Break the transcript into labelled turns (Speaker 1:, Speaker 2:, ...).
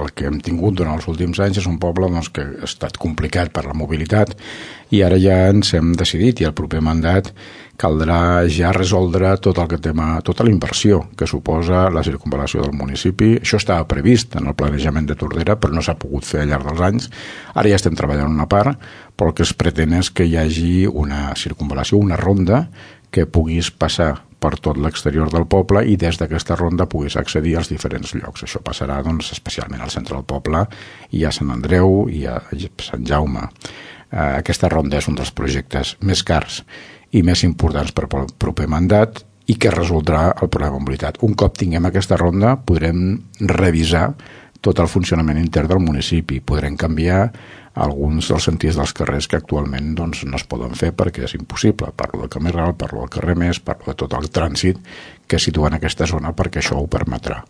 Speaker 1: el que hem tingut durant els últims anys és un poble que ha estat complicat per la mobilitat i ara ja ens hem decidit i el proper mandat caldrà ja resoldre tota la inversió que suposa la circunvalació del municipi. Això estava previst en el planejament de Tordera, però no s'ha pogut fer al llarg dels anys. Ara ja estem treballant una part, però el que es pretén és que hi hagi una circunvalació, una ronda, que puguis passar per tot l'exterior del poble i des d'aquesta ronda puguis accedir als diferents llocs. Això passarà especialment al centre del poble i a Sant Andreu i a Sant Jaume. Aquesta ronda és un dels projectes més cars i més importants per al proper mandat i que resoldrà el problema de mobilitat. Un cop tinguem aquesta ronda podrem revisar tot el funcionament intern del municipi, podrem canviar alguns dels sentirs dels carrers que actualment no es poden fer perquè és impossible. Parlo del camí ral, parlo del carrer Més, parlo de tot el trànsit que situa en aquesta zona perquè això ho permetrà.